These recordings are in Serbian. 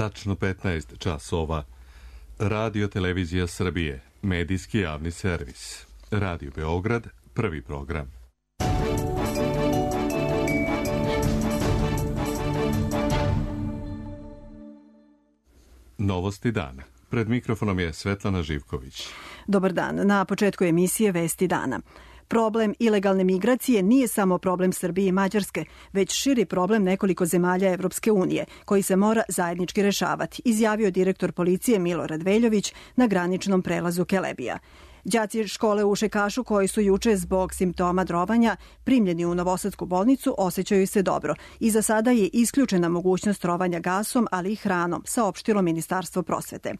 tačno 15 časova. Radio Televizija Srbije, medijski javni servis. Radio Beograd, prvi program. Novosti dana. Pred mikrofonom je Svetlana Živković. Dobar dan. Na početku emisije Vesti dana. Problem ilegalne migracije nije samo problem Srbije i Mađarske, već širi problem nekoliko zemalja Evropske unije, koji se mora zajednički rešavati, izjavio direktor policije Milorad Veljović na graničnom prelazu Kelebija. Đaci škole u Šekašu koji su juče zbog simptoma trovanja primljeni u novosadsku bolnicu osjećaju se dobro i za sada je isključena mogućnost trovanja gasom, ali i hranom, saopštilo Ministarstvo prosvete.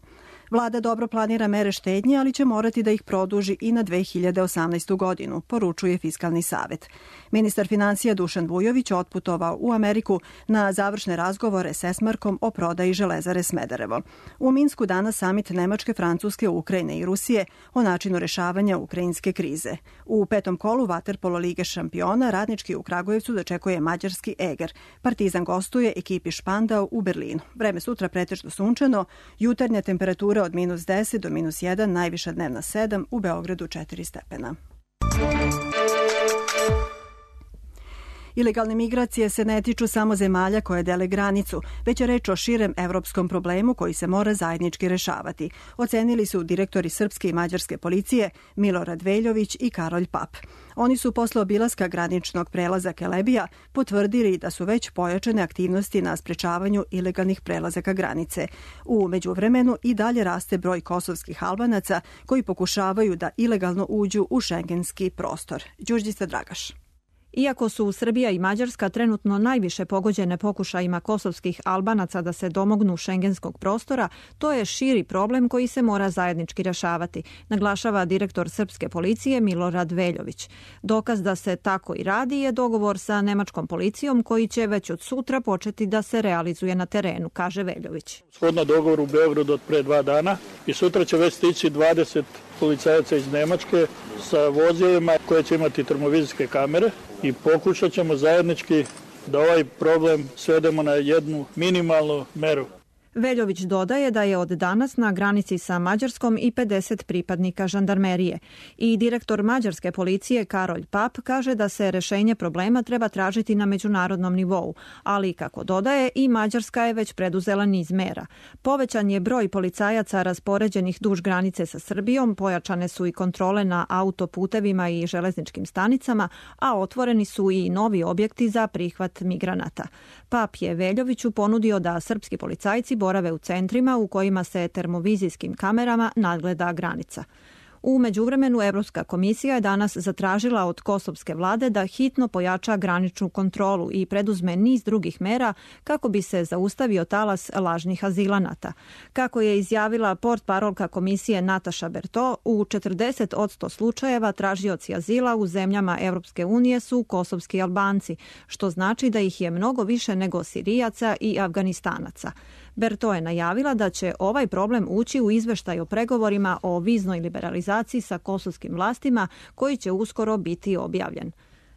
Vlada dobro planira mere štednje, ali će morati da ih produži i na 2018. godinu, poručuje Fiskalni savet. Ministar financija Dušan Vujović otputovao u Ameriku na završne razgovore s Esmarkom o prodaji Železare Smederevo. U Minsku danas samit Nemačke, Francuske, Ukrajine i Rusije o načinu rešavanja ukrajinske krize. U petom kolu vaterpolo Lige šampiona Radnički u Kragujevcu dočekuje mađarski Eger. Partizan gostuje ekipi Špandau u Berlinu. Vreme sutra pretežno sunčano, jutarnja temperatura od -10 do -1, najviša dnevna 7, u Beogradu 4 stepena. Ilegalne migracije se ne tiču samo zemalja koje dele granicu, već je reč o širem evropskom problemu koji se mora zajednički rešavati, ocenili su direktori srpske i mađarske policije Milorad Veljović i Karolj Pap. Oni su posle obilaska graničnog prelaza Kelebija potvrdili da su već pojačane aktivnosti na sprečavanju ilegalnih prelazaka granice. U međuvremenu i dalje raste broj kosovskih Albanaca koji pokušavaju da ilegalno uđu u šengenski prostor. Đurđica Dragaš. Iako su Srbija i Mađarska trenutno najviše pogođene pokušajima kosovskih Albanaca da se domognu šengenskog prostora, to je širi problem koji se mora zajednički rešavati, naglašava direktor srpske policije Milorad Veljović. Dokaz da se tako i radi je dogovor sa nemačkom policijom koji će već od sutra početi da se realizuje na terenu, kaže Veljović. Shodno dogovoru u Beogradu od pre 2 dana i sutra će već stići 20 policajaca iz Nemačke sa vozilima koje će imati termovizijske kamere i pokušat ćemo zajednički da ovaj problem svedemo na jednu minimalnu meru. Veljović dodaje da je od danas na granici sa Mađarskom i 50 pripadnika žandarmerije. I direktor mađarske policije Karolj Pap kaže da se rešenje problema treba tražiti na međunarodnom nivou, ali kako dodaje i Mađarska je već preduzela niz mera. Povećan je broj policajaca raspoređenih duž granice sa Srbijom, pojačane su i kontrole na autoputevima i železničkim stanicama, a otvoreni su i novi objekti za prihvat migranata. Pap je Veljoviću ponudio da srpski policajci borave u centrima u kojima se termovizijskim kamerama nadgleda granica. U međuvremenu Evropska komisija je danas zatražila od kosovske vlade da hitno pojača graničnu kontrolu i preduzme niz drugih mera kako bi se zaustavio talas lažnih azilanata. Kako je izjavila portparolka komisije Nataša Berto, u 40% slučajeva tražioci azila u zemljama Evropske unije su kosovski Albanci, što znači da ih je mnogo više nego Sirijaca i Afganistanaca. Berto je najavila da će ovaj problem ući u izveštaj o pregovorima o viznoj liberalizaciji sa kosovskim vlastima koji će uskoro biti objavljen.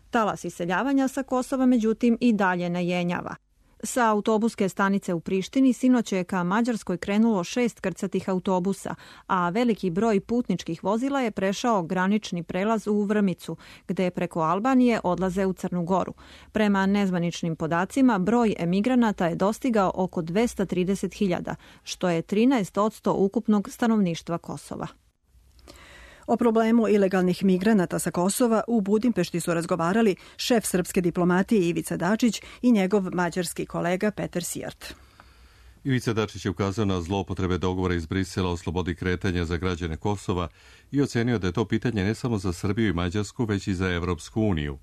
Talas iseljavanja sa Kosova međutim i dalje ne jenjava. Sa autobuske stanice u Prištini sinoć je ka Mađarskoj krenulo 6 krcatih autobusa, a veliki broj putničkih vozila je prešao granični prelaz u Vrmicu, gde preko Albanije odlaze u Crnu Goru. Prema nezvaničnim podacima, broj emigranata je dostigao oko 230.000, što je 13% ukupnog stanovništva Kosova. O problemu ilegalnih migranata sa Kosova u Budimpešti su razgovarali šef srpske diplomatije Ivica Dačić i njegov mađarski kolega Peter Sijart. Ivica Dačić je ukazao na zloupotrebe dogovora iz Brisela o slobodi kretanja za građane Kosova i ocenio da je to pitanje ne samo za Srbiju i Mađarsku, već i za Evropsku uniju.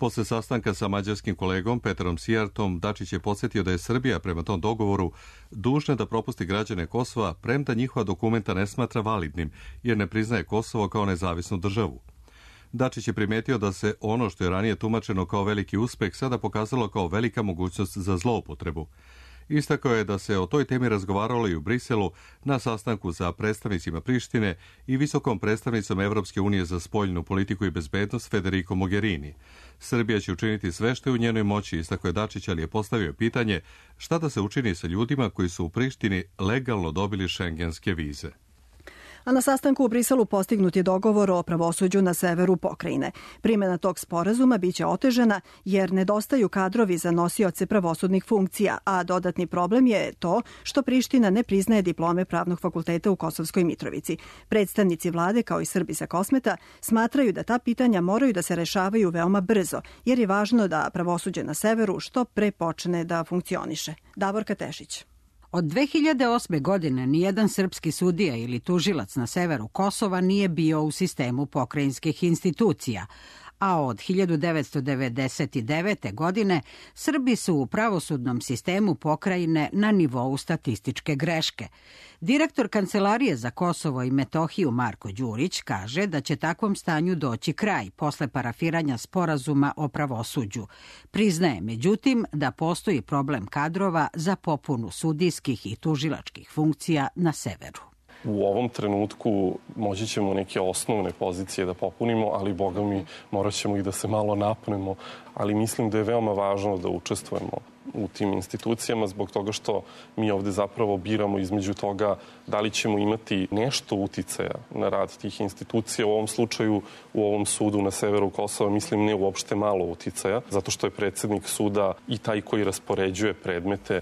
Posle sastanka sa mađarskim kolegom Petrom Sijartom, Dačić je podsjetio da je Srbija prema tom dogovoru dužna da propusti građane Kosova, premda njihova dokumenta ne smatra validnim, jer ne priznaje Kosovo kao nezavisnu državu. Dačić je primetio da se ono što je ranije tumačeno kao veliki uspeh sada pokazalo kao velika mogućnost za zloupotrebu. Istakao je da se o toj temi razgovaralo i u Briselu na sastanku sa predstavnicima Prištine i visokom predstavnicom Evropske unije za spoljnu politiku i bezbednost Federico Mogherini. Srbija će učiniti sve što je u njenoj moći, istakao je Dačić, ali je postavio pitanje šta da se učini sa ljudima koji su u Prištini legalno dobili šengenske vize. A na sastanku u Briselu postignut je dogovor o pravosuđu na severu pokrajine. Primjena tog sporazuma biće otežana jer nedostaju kadrovi za nosioce pravosudnih funkcija, a dodatni problem je to što Priština ne priznaje diplome Pravnog fakulteta u Kosovskoj Mitrovici. Predstavnici vlade, kao i Srbi sa Kosmeta, smatraju da ta pitanja moraju da se rešavaju veoma brzo, jer je važno da pravosuđe na severu što pre počne da funkcioniše. Davorka Tešić. Od 2008. godine nijedan srpski sudija ili tužilac na severu Kosova nije bio u sistemu pokrajinskih institucija, a od 1999. godine Srbi su u pravosudnom sistemu pokrajine na nivou statističke greške. Direktor Kancelarije za Kosovo i Metohiju Marko Đurić kaže da će takvom stanju doći kraj posle parafiranja sporazuma o pravosuđu. Priznaje, međutim, da postoji problem kadrova za popunu sudijskih i tužilačkih funkcija na severu. U ovom trenutku moći ćemo neke osnovne pozicije da popunimo, ali boga mi morat ćemo i da se malo napnemo. Ali mislim da je veoma važno da učestvujemo u tim institucijama zbog toga što mi ovde zapravo biramo između toga da li ćemo imati nešto uticaja na rad tih institucija. U ovom slučaju, u ovom sudu na severu Kosova, mislim ne uopšte malo uticaja, zato što je predsjednik suda i taj koji raspoređuje predmete.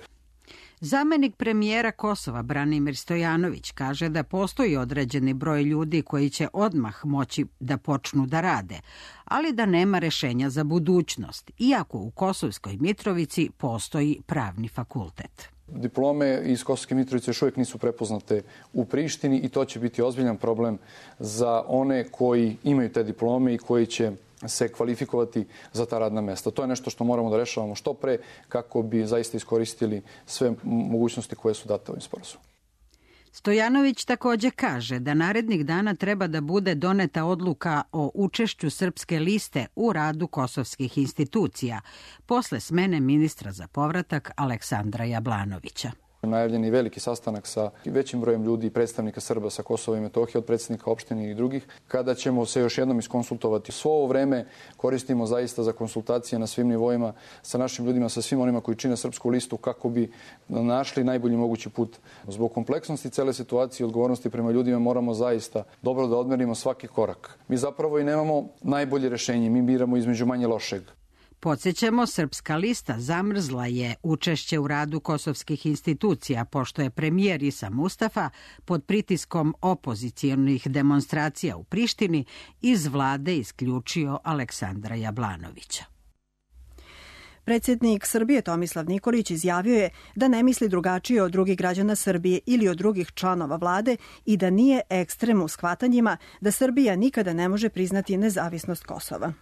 Zamenik premijera Kosova Branimir Stojanović kaže da postoji određeni broj ljudi koji će odmah moći da počnu da rade, ali da nema rešenja za budućnost, iako u Kosovskoj Mitrovici postoji pravni fakultet. Diplome iz Kosovske Mitrovice još uvijek nisu prepoznate u Prištini i to će biti ozbiljan problem za one koji imaju te diplome i koji će se kvalifikovati za ta radna mesta. To je nešto što moramo da rešavamo što pre kako bi zaista iskoristili sve mogućnosti koje su date ovim sporazumom. Stojanović takođe kaže da narednih dana treba da bude doneta odluka o učešću Srpske liste u radu kosovskih institucija posle smene ministra za povratak Aleksandra Jablanovića. Najavljen je veliki sastanak sa većim brojem ljudi i predstavnika Srba sa Kosova i Metohije, od predsjednika opštine i drugih, kada ćemo se još jednom iskonsultovati. Svo ovo vreme koristimo zaista za konsultacije na svim nivoima sa našim ljudima, sa svim onima koji čine Srpsku listu, kako bi našli najbolji mogući put. Zbog kompleksnosti cele situacije i odgovornosti prema ljudima moramo zaista dobro da odmerimo svaki korak. Mi zapravo i nemamo najbolje rešenje, mi biramo između manje lošeg. Podsjećamo, Srpska lista zamrzla je učešće u radu kosovskih institucija, pošto je premijer Isa Mustafa pod pritiskom opozicijonih demonstracija u Prištini iz vlade isključio Aleksandra Jablanovića. Predsjednik Srbije Tomislav Nikolić izjavio je da ne misli drugačije od drugih građana Srbije ili od drugih članova vlade i da nije ekstrem u shvatanjima da Srbija nikada ne može priznati nezavisnost Kosova.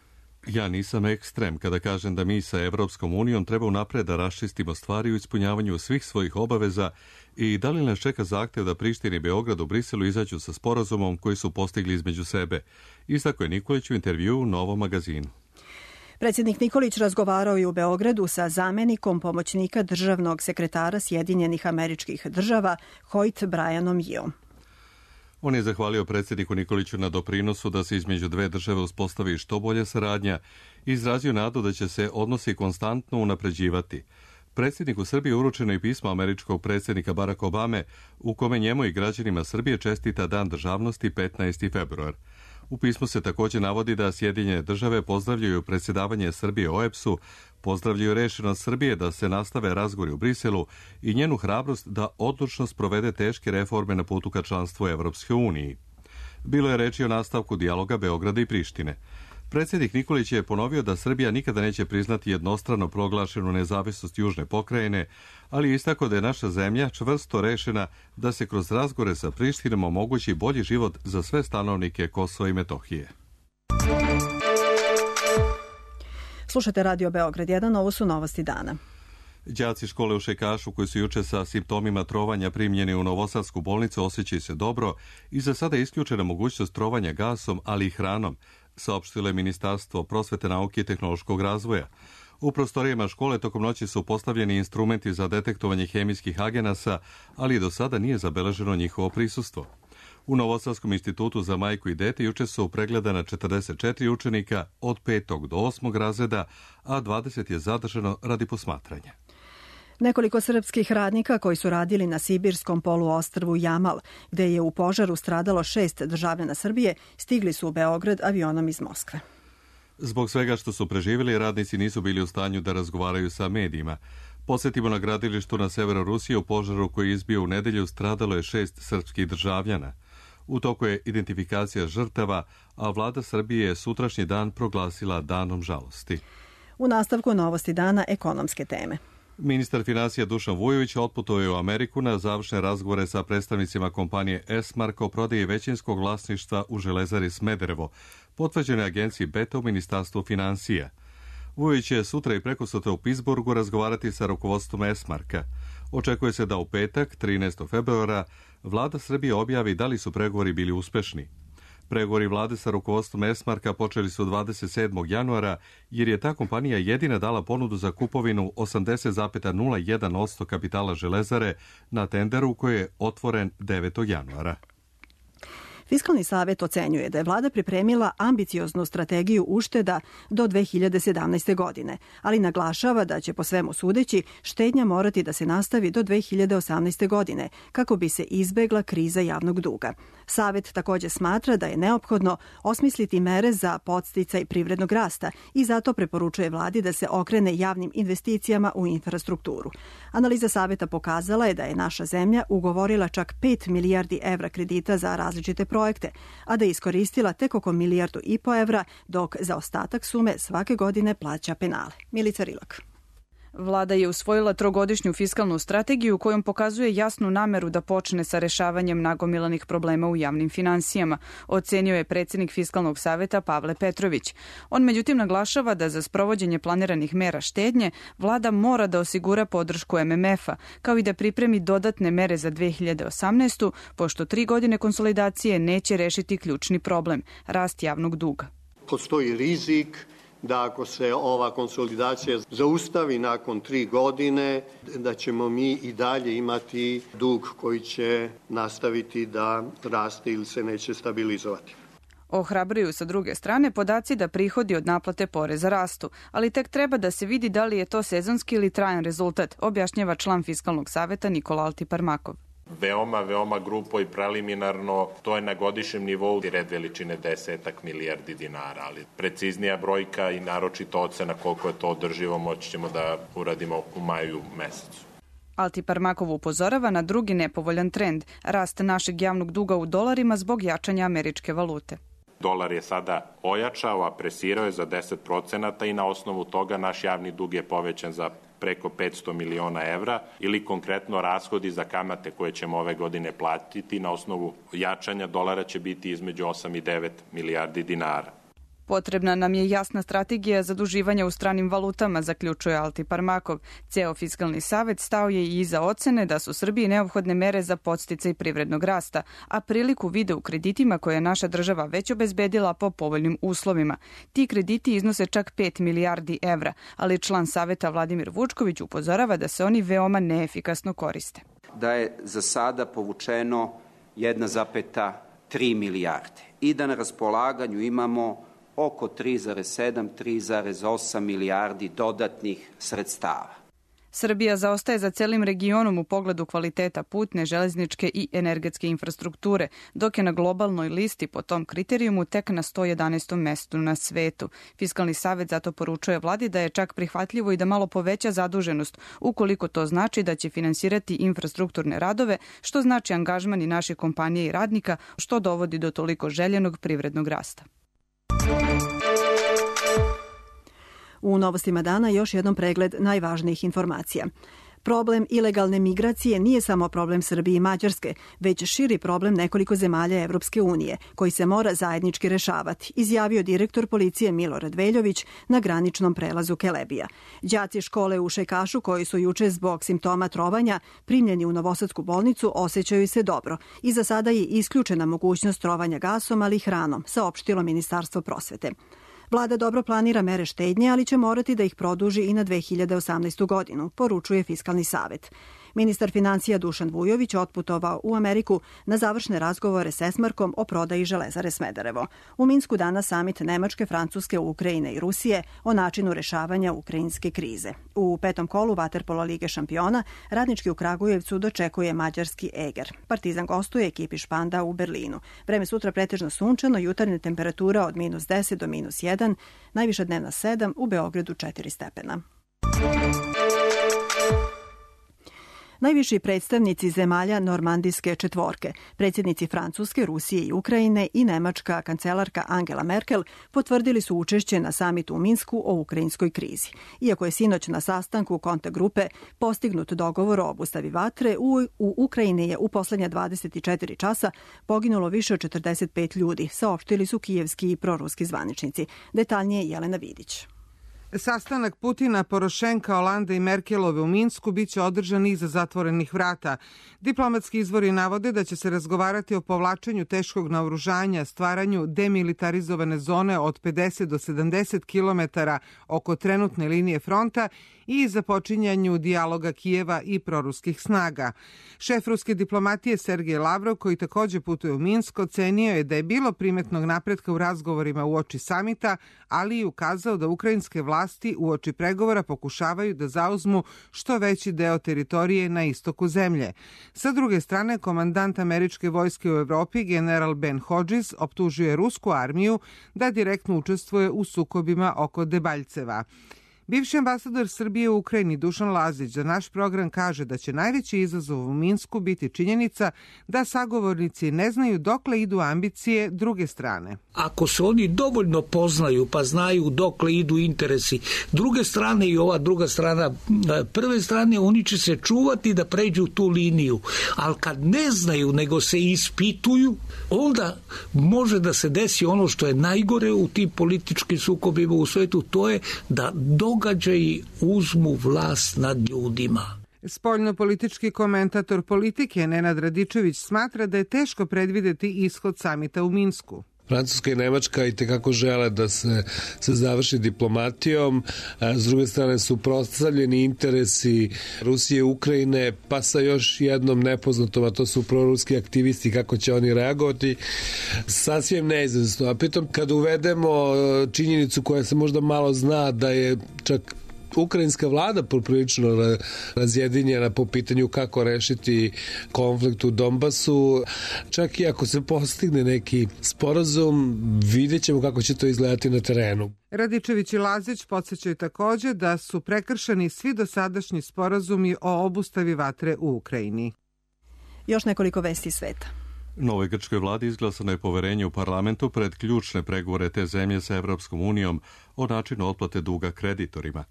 Ja nisam ekstrem kada kažem da mi sa Evropskom unijom treba unapred da raščistimo stvari u ispunjavanju svih svojih obaveza i da li nas čeka zahtev da Priština i Beograd u Briselu izađu sa sporazumom koji su postigli između sebe. Istakao je Nikolić u intervjuu u Novom magazinu. Predsjednik Nikolić razgovarao je u Beogradu sa zamenikom pomoćnika državnog sekretara Sjedinjenih Američkih Država Hoyt Brianom Yeom. On je zahvalio predsjedniku Nikoliću na doprinosu da se između dve države uspostavi što bolje saradnja i izrazio nadu da će se odnosi konstantno unapređivati. Predsjedniku Srbije uručeno je pismo američkog predsjednika Baracka Obame u kome njemu i građanima Srbije čestita Dan državnosti 15. februar. U pismu se također navodi da Sjedinjene države pozdravljaju predsjedavanje Srbije OEBS-u, pozdravljaju rešenost Srbije da se nastave razgovori u Briselu i njenu hrabrost da odlučno sprovede teške reforme na putu ka članstvu Evropske uniji. Bilo je reči o nastavku dijaloga Beograda i Prištine. Predsjednik Nikolić je ponovio da Srbija nikada neće priznati jednostrano proglašenu nezavisnost južne pokrajine, ali je istakao da je naša zemlja čvrsto rešena da se kroz razgovore sa Prištinom omogući bolji život za sve stanovnike Kosova i Metohije. Slušate Radio Beograd 1, ovo su novosti dana. Đaci škole u Šejkašu koji su juče sa simptomima trovanja primljeni u Novosadsku bolnicu osjećaju se dobro i za sada je isključena mogućnost trovanja gasom, ali i hranom, saopštilo je Ministarstvo prosvete, nauke i tehnološkog razvoja. U prostorijama škole tokom noći su postavljeni instrumenti za detektovanje hemijskih agenasa, ali do sada nije zabeleženo njihovo prisustvo. U Novosadskom institutu za majku i dete juče su pregledana 44 učenika od 5. do 8. razreda, a 20 je zadržano radi posmatranja. Nekoliko srpskih radnika koji su radili na sibirskom poluostrvu Jamal, gde je u požaru stradalo 6 državljana Srbije, stigli su u Beograd avionom iz Moskve. Zbog svega što su preživjeli, radnici nisu bili u stanju da razgovaraju sa medijima. Posjetimo na gradilištu na severu Rusije u požaru koji je izbio u nedelju stradalo je 6 srpskih državljana. U toku je identifikacija žrtava, a vlada Srbije je sutrašnji dan proglasila danom žalosti. U nastavku novosti dana ekonomske teme. Ministar finansija Dušan Vujović otputovao u Ameriku na završne razgovore sa predstavnicima kompanije Esmark o prodaji većinskog vlasništva u Železari Smederevo, potvrđene agenciji Beta u Ministarstvu finansija. Vujović će sutra i prekosutra u Pittsburghu razgovarati sa rukovodstvom Esmarka. Očekuje se da u petak, 13. februara, vlada Srbije objavi da li su pregovori bili uspešni. Pregovori vlade sa rukovodstvom Esmarka počeli su 27. januara, jer je ta kompanija jedina dala ponudu za kupovinu 80,01% kapitala Železare na tenderu koji je otvoren 9. januara. Fiskalni savet ocenjuje da je vlada pripremila ambicioznu strategiju ušteda do 2017. godine, ali naglašava da će po svemu sudeći štednja morati da se nastavi do 2018. godine kako bi se izbegla kriza javnog duga. Savet također smatra da je neophodno osmisliti mere za podsticaj privrednog rasta i zato preporučuje vladi da se okrene javnim investicijama u infrastrukturu. Analiza saveta pokazala je da je naša zemlja ugovorila čak 5 milijardi evra kredita za različite projekte, a da je iskoristila tek oko 1,5 milijardu evra, dok za ostatak sume svake godine plaća penale. Milica Rilak. Vlada je usvojila trogodišnju fiskalnu strategiju kojom pokazuje jasnu nameru da počne sa rešavanjem nagomilanih problema u javnim finansijama, ocenio je predsjednik Fiskalnog saveta Pavle Petrović. On međutim naglašava da za sprovođenje planiranih mera štednje vlada mora da osigura podršku MMF-a, kao i da pripremi dodatne mere za 2018. pošto 3 godine konsolidacije neće rešiti ključni problem, rast javnog duga. Postoji rizik da ako se ova konsolidacija zaustavi nakon 3 godine, da ćemo mi i dalje imati dug koji će nastaviti da raste ili se neće stabilizovati. Ohrabruju sa druge strane podaci da prihodi od naplate poreza rastu, ali tek treba da se vidi da li je to sezonski ili trajan rezultat, objašnjava član Fiskalnog saveta Nikola Altiparmakov. Veoma grupo i preliminarno, to je na godišnjem nivou red veličine 10 milijardi dinara, ali preciznija brojka i naročito ocena koliko je to održivo moći ćemo da uradimo u maju mesecu. Altiparmakov upozorava na drugi nepovoljan trend, rast našeg javnog duga u dolarima zbog jačanja američke valute. Dolar je sada ojačao, a presirao je za 10% i na osnovu toga naš javni dug je povećan za preko 500 miliona evra ili konkretno rashodi za kamate koje ćemo ove godine platiti na osnovu jačanja dolara će biti između 8 i 9 milijardi dinara. Potrebna nam je jasna strategija zaduživanja u stranim valutama, zaključuje Altiparmakov. Ceo Fiskalni savet stao je i iza ocene da su Srbiji neophodne mere za podsticaj privrednog rasta, a priliku vide u kreditima koje je naša država već obezbedila po povoljnim uslovima. Ti krediti iznose čak 5 milijardi evra, ali član saveta Vladimir Vučković upozorava da se oni veoma neefikasno koriste. Da je za sada povučeno 1,3 milijarde i da na raspolaganju imamo oko 3,7-3,8 milijardi dodatnih sredstava. Srbija zaostaje za celim regionom u pogledu kvaliteta putne, železničke i energetske infrastrukture, dok je na globalnoj listi po tom kriterijumu tek na 111. mestu na svetu. Fiskalni savet zato poručuje vladi da je čak prihvatljivo i da malo poveća zaduženost, ukoliko to znači da će finansirati infrastrukturne radove, što znači angažman i naše kompanije i radnika, što dovodi do toliko željenog privrednog rasta. U novostima dana još jednom pregled najvažnijih informacija. Problem ilegalne migracije nije samo problem Srbije i Mađarske, već širi problem nekoliko zemalja Evropske unije, koji se mora zajednički rešavati, izjavio direktor policije Milorad Veljović na graničnom prelazu Kelebija. Đaci škole u Šajkašu, koji su juče zbog simptoma trovanja primljeni u Novosadsku bolnicu, osjećaju se dobro i za sada je isključena mogućnost trovanja gasom, ali i hranom, saopštilo Ministarstvo prosvete. Vlada dobro planira mere štednje, ali će morati da ih produži i na 2018. godinu, poručuje Fiskalni savet. Ministar financija Dušan Vujović otputovao u Ameriku na završne razgovore s Esmarkom o prodaji Železare Smederevo. U Minsku danas samit Nemačke, Francuske, Ukrajine i Rusije o načinu rešavanja ukrajinske krize. U petom kolu Vaterpola Lige šampiona Radnički u Kragujevcu dočekuje mađarski Eger. Partizan gostuje ekipi Španda u Berlinu. Vreme sutra pretežno sunčano, jutarnja temperatura od -10 do -1, najviša dnevna 7, u Beogradu 4 stepena. Najviši predstavnici zemalja Normandijske četvorke, predsjednici Francuske, Rusije i Ukrajine i nemačka kancelarka Angela Merkel potvrdili su učešće na samitu u Minsku o ukrajinskoj krizi. Iako je sinoć na sastanku kontakt grupe postignut dogovor o obustavi vatre, u Ukrajini je u poslednja 24 časa poginulo više od 45 ljudi, saopštili su kijevski i proruski zvaničnici. Detaljnije Jelena Vidić. Sastanak Putina, Porošenka, Holanda i Merkelove u Minsku biće održan iza zatvorenih vrata. Diplomatski izvori navode da će se razgovarati o povlačenju teškog naoružanja, stvaranju demilitarizovane zone od 50 do 70 kilometara oko trenutne linije fronta i započinjanju dijaloga Kijeva i proruskih snaga. Šef ruske diplomatije Sergej Lavrov, koji takođe putuje u Minsk, ocenio je da je bilo primetnog napretka u razgovorima uoči samita, ali i ukazao da ukrajinske vlasti uoči pregovora pokušavaju da zauzmu što veći deo teritorije na istoku zemlje. Sa druge strane, komandant američke vojske u Evropi, general Ben Hodges, optužuje rusku armiju da direktno učestvuje u sukobima oko Debaljceva. Bivši ambasador Srbije u Ukrajini Dušan Lazić za naš program kaže da će najveći izazov u Minsku biti činjenica da sagovornici ne znaju dokle idu ambicije druge strane. Ako se oni dovoljno poznaju pa znaju dokle idu interesi druge strane i ova druga strana prve strane, oni će se čuvati da pređu tu liniju. Ali kad ne znaju nego se ispituju, onda može da se desi ono što je najgore u tim političkim sukobima u svetu, to je da događaji uzmu vlast nad ljudima. Spoljnopolitički komentator Politike Nenad Radičević smatra da je teško predvideti ishod samita u Minsku. Francuska i Nemačka i tekako žele da se završi diplomatijom, s druge strane su prostavljeni interesi Rusije i Ukrajine, pa sa još jednom nepoznatom, a to su proruski aktivisti, kako će oni reagovati, sasvim neizvesno. A pritom kad uvedemo činjenicu koja se možda malo zna da je čak ukrajinska vlada poprilično razjedinjena po pitanju kako rešiti konflikt u Donbasu. Čak i ako se postigne neki sporazum, vidjet ćemo kako će to izgledati na terenu. Radičević i Lazić podsjećaju takođe da su prekršeni svi dosadašnji sporazumi o obustavi vatre u Ukrajini. Još nekoliko vesti sveta. Novoj grčkoj vladi izglasano je poverenje u parlamentu pred ključne pregovore te zemlje sa Evropskom unijom o načinu otplate duga kreditorima.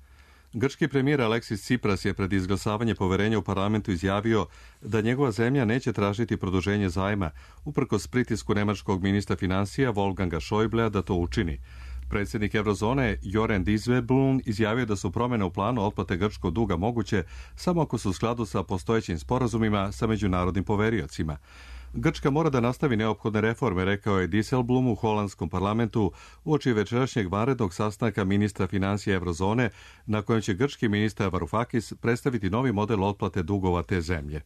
Grčki premijer Aleksis Tsipras je pred izglasavanje poverenja u parlamentu izjavio da njegova zemlja neće tražiti produženje zajma, uprkos pritisku nemačkog ministra financija Wolfganga Schäublea da to učini. Predsjednik Eurozone Joren Dijsselbloem izjavio da su promjene u planu otplate grčkog duga moguće samo ako su u skladu sa postojećim sporazumima sa međunarodnim poveriocima. Grčka mora da nastavi neophodne reforme, rekao je Dijsselbloem u holandskom parlamentu uoči večerašnjeg vanrednog sastanka ministra financija Eurozone, na kojem će grčki ministar Varoufakis predstaviti novi model otplate dugova te zemlje.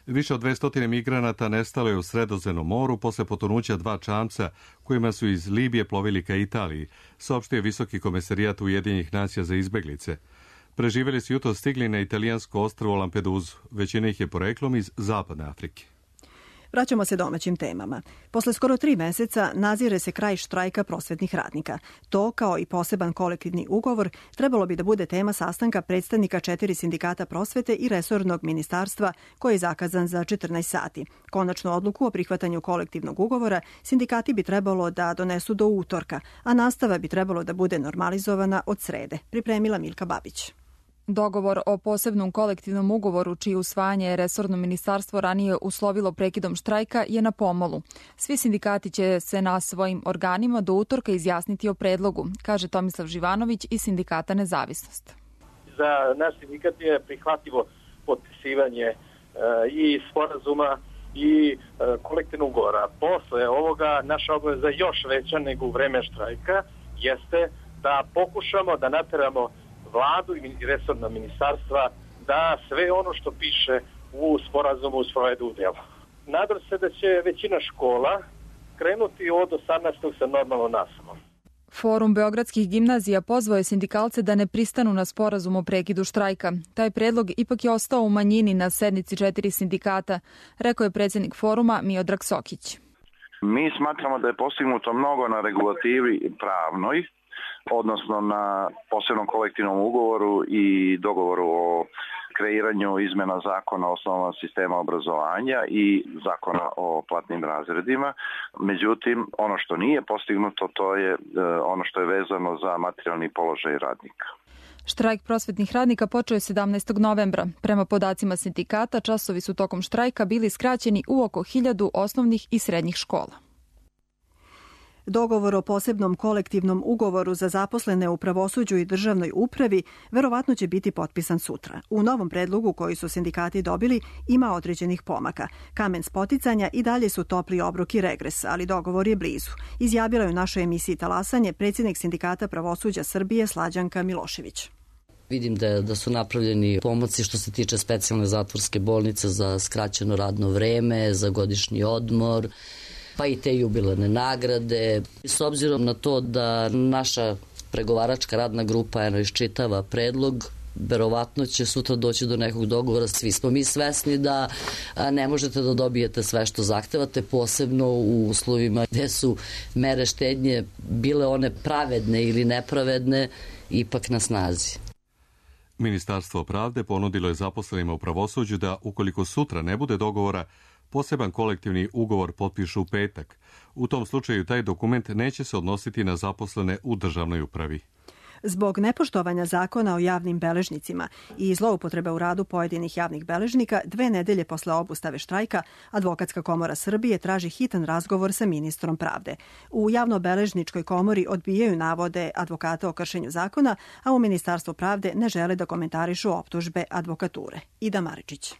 Više od 200 migranata nestalo je u Sredozemnom moru posle potonuća 2 čamca kojima su iz Libije plovili ka Italiji, saopštio Visoki komesarijat Ujedinjenih nacija za izbeglice. Preživjeli su jutros stigli na italijansko ostrvo Lampedusu. Većina ih je poreklom iz Zapadne Afrike. Vraćamo se domaćim temama. Posle skoro 3 meseca nazire se kraj štrajka prosvetnih radnika. To, kao i poseban kolektivni ugovor, trebalo bi da bude tema sastanka predstavnika 4 sindikata prosvete i resornog ministarstva koji je zakazan za 14 sati. Konačnu odluku o prihvatanju kolektivnog ugovora sindikati bi trebalo da donesu do utorka, a nastava bi trebalo da bude normalizovana od srede, pripremila Milka Babić. Dogovor o posebnom kolektivnom ugovoru, čije usvajanje je resorno ministarstvo ranije uslovilo prekidom štrajka, je na pomolu. Svi sindikati će se na svojim organima do utorka izjasniti o predlogu, kaže Tomislav Živanović iz sindikata Nezavisnost. Za naš sindikat je prihvatljivo potpisivanje i sporazuma i kolektivnog ugovora. Posle ovoga naša obaveza je još veća nego u vreme štrajka, jeste da pokušamo da nateramo vladu i resorna ministarstva da sve ono što piše u sporazumu sprovedu u delo. Nadam se da će većina škola krenuti od 18. sa normalnom nastavom. Forum beogradskih gimnazija pozvao je sindikalce da ne pristanu na sporazum o prekidu štrajka. Taj predlog ipak je ostao u manjini na sednici 4 sindikata, rekao je predsjednik foruma Miodrag Sokić. Mi smatramo da je postignuto mnogo na regulativi pravnoj, odnosno na posebnom kolektivnom ugovoru i dogovoru o kreiranju izmena zakona o osnovama sistema obrazovanja i zakona o platnim razredima. Međutim, ono što nije postignuto, to je ono što je vezano za materijalni položaj radnika. Štrajk prosvetnih radnika počeo je 17. novembra. Prema podacima sindikata, časovi su tokom štrajka bili skraćeni u oko 1000 osnovnih i srednjih škola. Dogovor o posebnom kolektivnom ugovoru za zaposlene u pravosuđu i državnoj upravi verovatno će biti potpisan sutra. U novom predlogu koji su sindikati dobili ima određenih pomaka. Kamen spoticanja i dalje su topli obrok i regres, ali dogovor je blizu. Izjavila je u našoj emisiji Talasanje predsjednik Sindikata pravosuđa Srbije Slađanka Milošević. Vidim da su napravljeni pomaci što se tiče specijalne zatvorske bolnice za skraćeno radno vreme, za godišnji odmor, pa i te jubilarne nagrade. S obzirom na to da naša pregovaračka radna grupa iščitava predlog, verovatno će sutra doći do nekog dogovora. Svi smo mi svesni da ne možete da dobijete sve što zahtevate, posebno u uslovima gde su mere štednje bile one pravedne ili nepravedne, ipak na snazi. Ministarstvo pravde ponudilo je zaposlenima u pravosuđu da, ukoliko sutra ne bude dogovora, poseban kolektivni ugovor potpišu u petak. U tom slučaju taj dokument neće se odnositi na zaposlene u državnoj upravi. Zbog nepoštovanja zakona o javnim beležnicima i zloupotrebe u radu pojedinih javnih beležnika, 2 nedelje posle obustave štrajka, Advokatska komora Srbije traži hitan razgovor sa ministrom pravde. U javnobeležničkoj komori odbijaju navode advokata o kršenju zakona, a u Ministarstvu pravde ne žele da komentarišu optužbe advokature. Ida Maričić.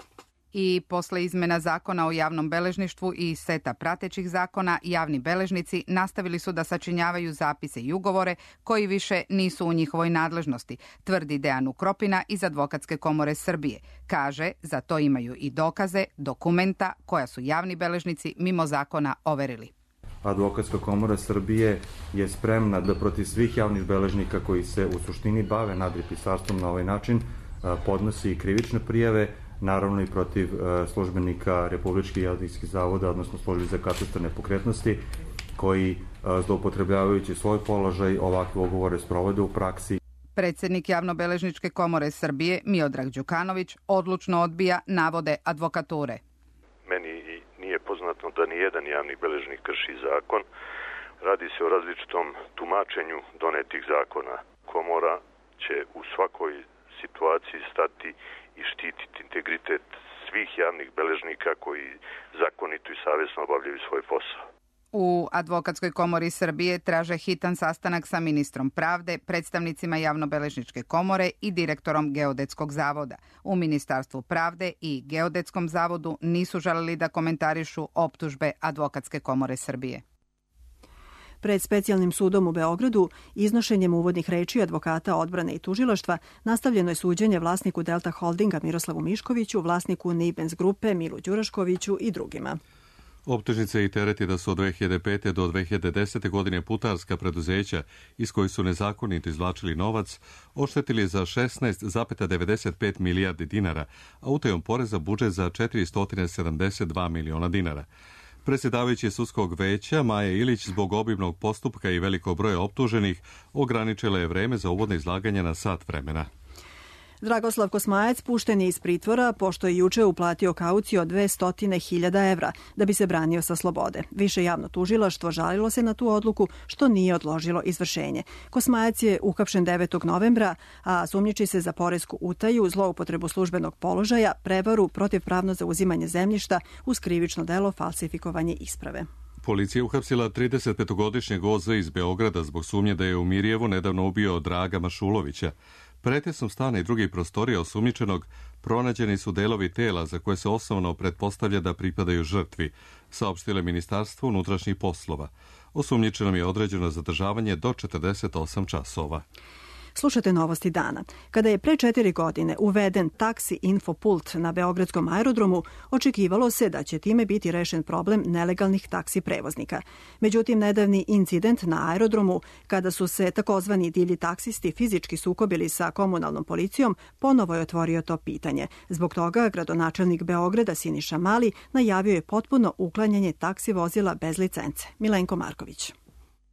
I posle izmena zakona o javnom beležništvu i seta pratećih zakona, javni beležnici nastavili su da sačinjavaju zapise i ugovore koji više nisu u njihovoj nadležnosti, tvrdi Dejan Ukropina iz Advokatske komore Srbije. Kaže, za to imaju i dokaze, dokumenta koja su javni beležnici mimo zakona overili. Advokatska komora Srbije je spremna da protiv svih javnih beležnika koji se u suštini bave nadripisarstvom na ovaj način podnosi i krivične prijave, naravno i protiv službenika Republičkih geodetskih zavoda, odnosno službi za katastar nepokretnosti, koji zloupotrebljavajući svoj položaj ovakve ugovore sprovode u praksi. Predsjednik Javnobeležničke komore Srbije Miodrag Đukanović odlučno odbija navode advokature. Meni nije poznato da ni jedan javni beležnik krši zakon. Radi se o različitom tumačenju donetih zakona. Komora će u svakoj situaciji stati i štititi integritet svih javnih beležnika koji zakonito i savjesno obavljaju svoj posao. U Advokatskoj komori Srbije traže hitan sastanak sa ministrom pravde, predstavnicima Javnobeležničke komore i direktorom Geodetskog zavoda. U Ministarstvu pravde i Geodetskom zavodu nisu želeli da komentarišu optužbe Advokatske komore Srbije. Pred specijalnim sudom u Beogradu, iznošenjem uvodnih reči advokata odbrane i tužilaštva, nastavljeno je suđenje vlasniku Delta Holdinga Miroslavu Miškoviću, vlasniku Nibens grupe Milu Đuraškoviću i drugima. Optužnice i tereti da su od 2005. do 2010. godine putarska preduzeća iz kojih su nezakonito izvlačili novac oštetili za 16,95 milijardi dinara, a utajom poreza budžet za 472 miliona dinara. Predsjedavajući sudskog veća Maja Ilić zbog obimnog postupka i velikog broja optuženih ograničila je vreme za uvodno izlaganje na sat vremena. Dragoslav Kosmajac pušten je iz pritvora pošto je juče uplatio kauciju od 200.000 evra da bi se branio sa slobode. Više javno tužilaštvo žalilo se na tu odluku što nije odložilo izvršenje. Kosmajac je uhapšen 9. novembra, a sumnjiči se za poresku utaju, zloupotrebu službenog položaja, prevaru, protivpravno zauzimanje zemljišta uz krivično delo falsifikovanje isprave. Policija uhapsila 35-godišnjeg OZ iz Beograda zbog sumnje da je u Mirjevu nedavno ubio Draga Mašulovića. Pretresom stana i drugih prostorija osumnjičenog pronađeni su delovi tela za koje se osnovno pretpostavlja da pripadaju žrtvi. saopštile Ministarstvo unutrašnjih poslova. Osumnjičenom je određeno zadržavanje do 48 časova. Slušate novosti dana. Kada je pre 4 godine uveden taksi infopult na Beogradskom aerodromu, očekivalo se da će time biti rešen problem nelegalnih taksi prevoznika. Međutim, nedavni incident na aerodromu, kada su se takozvani divlji taksisti fizički sukobili sa komunalnom policijom, ponovo je otvorio to pitanje. Zbog toga gradonačelnik Beograda Siniša Mali najavio je potpuno uklanjanje taksi vozila bez licence. Milenko Marković.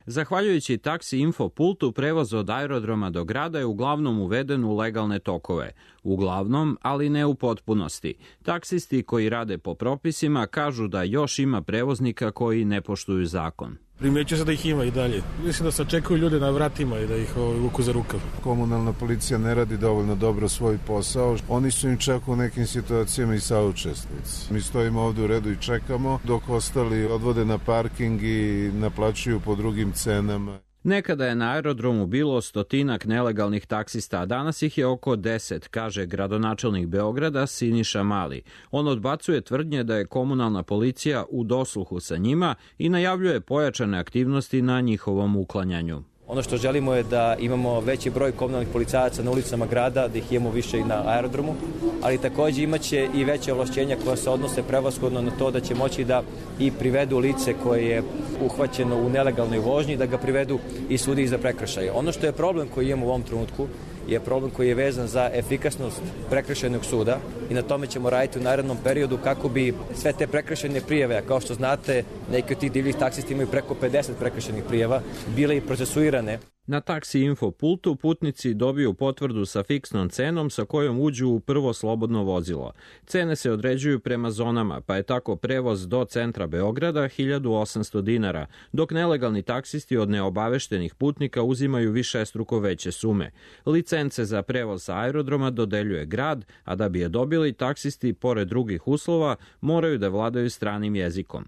Zahvaljujući taksi infopultu, prevoz od aerodroma do grada je uglavnom uveden u legalne tokove. Uglavnom, ali ne u potpunosti. Taksisti koji rade po propisima kažu da još ima prevoznika koji ne poštuju zakon. Primećuje se da ih ima i dalje. Mislim da se očekuju ljude na vratima i da ih vuku za rukav. Komunalna policija ne radi dovoljno dobro svoj posao. Oni su im čak u nekim situacijama i saučesnici. Mi stojimo ovde u redu i čekamo, dok ostali odvode na parking i naplaćuju po drugim cenama. Nekada je na aerodromu bilo 100-ak nelegalnih taksista, a danas ih je oko 10, kaže gradonačelnik Beograda Siniša Mali. On odbacuje tvrdnje da je komunalna policija u dosluhu sa njima i najavljuje pojačane aktivnosti na njihovom uklanjanju. Ono što želimo je da imamo veći broj komunalnih policajaca na ulicama grada, da ih imamo više i na aerodromu, ali takođe imaće i veće ovlašćenja koja se odnose prevashodno na to da će moći da i privedu lice koje je uhvaćeno u nelegalnoj vožnji, da ga privedu i sudiji za prekršaje. Ono što je problem koji imamo u ovom trenutku je problem koji je vezan za efikasnost prekršajnog suda i na tome ćemo raditi u narednom periodu kako bi sve te prekršajne prijave, a kao što znate, neki od tih divljih taksisti imaju preko 50 prekršajnih prijava, bile i procesuirane. Na taksi infopultu putnici dobiju potvrdu sa fiksnom cenom sa kojom uđu u prvo slobodno vozilo. Cene se određuju prema zonama, pa je tako prevoz do centra Beograda 1800 dinara, dok nelegalni taksisti od neobaveštenih putnika uzimaju višestruko veće sume. Licence za prevoz sa aerodroma dodeljuje grad, a da bi je dobili, taksisti, pored drugih uslova, moraju da vladaju stranim jezikom.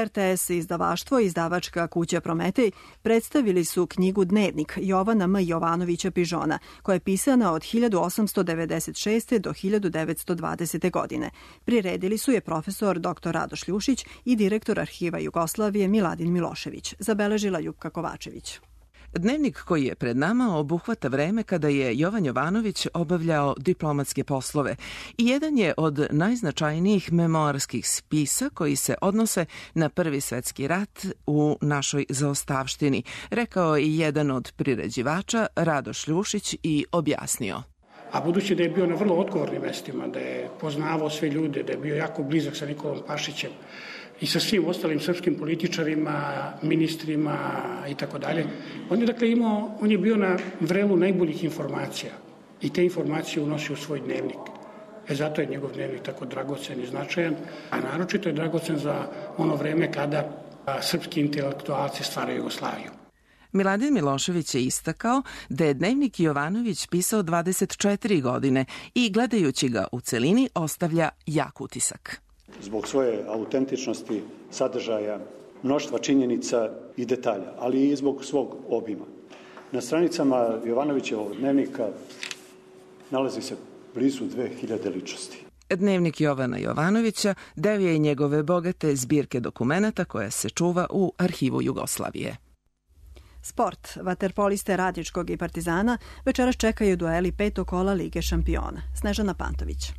RTS izdavaštvo i izdavačka kuća Prometej predstavili su knjigu Dnevnik Jovana M. Jovanovića Pižona, koja je pisana od 1896. do 1920. godine. Priredili su je profesor dr. Radoš Ljušić i direktor Arhiva Jugoslavije Miladin Milošević, zabeležila Ljupka Kovačević. Dnevnik koji je pred nama obuhvata vreme kada je Jovan Jovanović obavljao diplomatske poslove i jedan je od najznačajnijih memoarskih spisa koji se odnose na Prvi svetski rat u našoj zaostavštini, rekao je jedan od priređivača Radoš Ljušić i objasnio. A budući da je bio na vrlo odgovornim mestima, da je poznavao sve ljude, da je bio jako blizak sa Nikolom Pašićem i sa svim ostalim srpskim političarima, ministrima i tako dalje, on je bio na vrelu najboljih informacija i te informacije unosio u svoj dnevnik. Zato je njegov dnevnik tako dragocen i značajan, a naročito je dragocen za ono vreme kada srpski intelektualci stvaraju Jugoslaviju. Miladin Milošević je istakao da je Dnevnik Jovanović pisao 24 godine i gledajući ga u celini ostavlja jak utisak. Zbog svoje autentičnosti, sadržaja, mnoštva činjenica i detalja, ali i zbog svog obima. Na stranicama Jovanovićevog dnevnika nalazi se blizu 2000 ličnosti. Dnevnik Jovana Jovanovića deo je njegove bogate zbirke dokumenata koja se čuva u Arhivu Jugoslavije. Sport. Vaterpoliste Radničkog i Partizana večeras čekaju dueli 5. kola Lige šampiona. Snežana Pantović.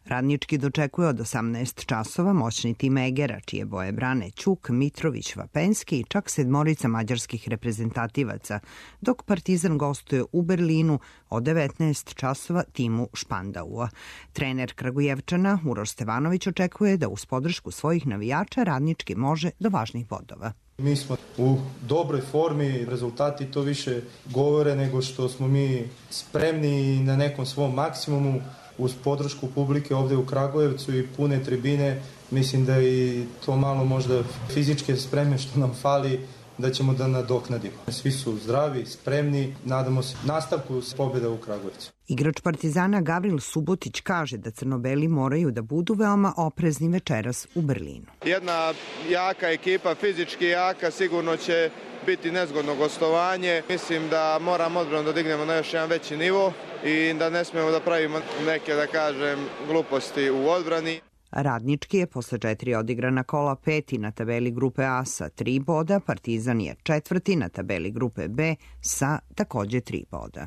Radnički dočekuje od 18 časova moćni tim Egera, čije boje brane Ćuk, Mitrović, Vapenski i čak 7 mađarskih reprezentativaca, dok Partizan gostuje u Berlinu od 19 časova timu Špandaua. Trener Kragujevčana Uroš Stevanović očekuje da uz podršku svojih navijača Radnički može do važnih bodova. Mi smo u dobroj formi, rezultati to više govore nego što smo mi spremni na nekom svom maksimumu. Uz podršku publike ovde u Kragujevcu i pune tribine, mislim da i to malo možda fizičke spreme što nam fali da ćemo da nadoknadimo. Svi su zdravi, spremni, nadamo se nastavku pobjeda u Kragujevcu. Igrač Partizana Gavril Subotić kaže da crnobeli moraju da budu veoma oprezni večeras u Berlinu. Jedna jaka ekipa, fizički jaka, sigurno će biti nezgodno gostovanje. Mislim da moramo odbranu da dignemo na još jedan veći nivo i da ne smemo da pravimo neke, da kažem, gluposti u odbrani. Radnički je posle 4 odigrana kola 5. na tabeli grupe A sa 3 boda, Partizan je 4. na tabeli grupe B sa takođe 3 boda.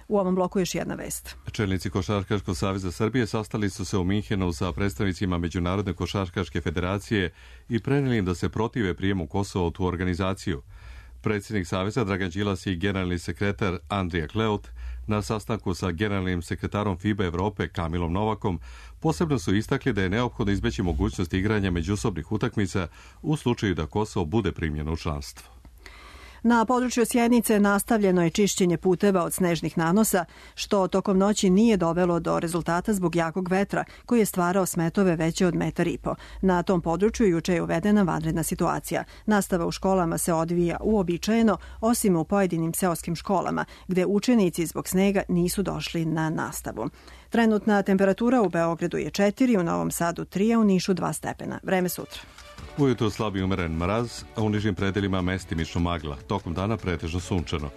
U ovom bloku još jedna vest. Čelnici Košarkaškog saveza Srbije sastali su se u Minhenu sa predstavnicima Međunarodne košarkaške federacije i preneli im da se protive prijemu Kosova u tu organizaciju. Predsjednik saveza Dragan Đilas i generalni sekretar Andrija Kleut na sastanku sa generalnim sekretarom FIBA Evrope Kamilom Novakom posebno su istakli da je neophodno izbeći mogućnost igranja međusobnih utakmica u slučaju da Kosovo bude primljeno u članstvo. Na području Sjenice nastavljeno je čišćenje puteva od snežnih nanosa, što tokom noći nije dovelo do rezultata zbog jakog vetra, koji je stvarao smetove veće od 1,5 m. Na tom području juče je uvedena vanredna situacija. Nastava u školama se odvija uobičajeno, osim u pojedinim seoskim školama, gde učenici zbog snega nisu došli na nastavu. Trenutna temperatura u Beogradu je 4, u Novom Sadu 3, a u Nišu 2 stepena. Vreme sutra. Ujutro slab i umeren mraz, a u nižim predelima mestimično magla. Tokom dana pretežno sunčano.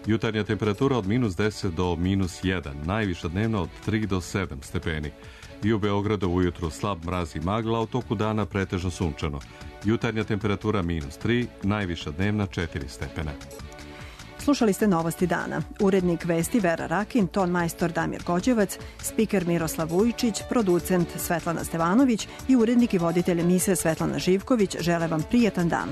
Jutarnja temperatura od -10 do -1, najviša dnevna od 3 do 7 stepeni. I u Beogradu ujutro slab mraz i magla, a u toku dana pretežno sunčano. Jutarnja temperatura -3, najviša dnevna 4 stepena. Slušali ste Novosti dana. Urednik vesti Vera Rakin, ton majstor Damir Gođevac, spiker Miroslav Vujičić, producent Svetlana Stevanović i urednik i voditelj emisije Svetlana Živković žele vam prijetan dan.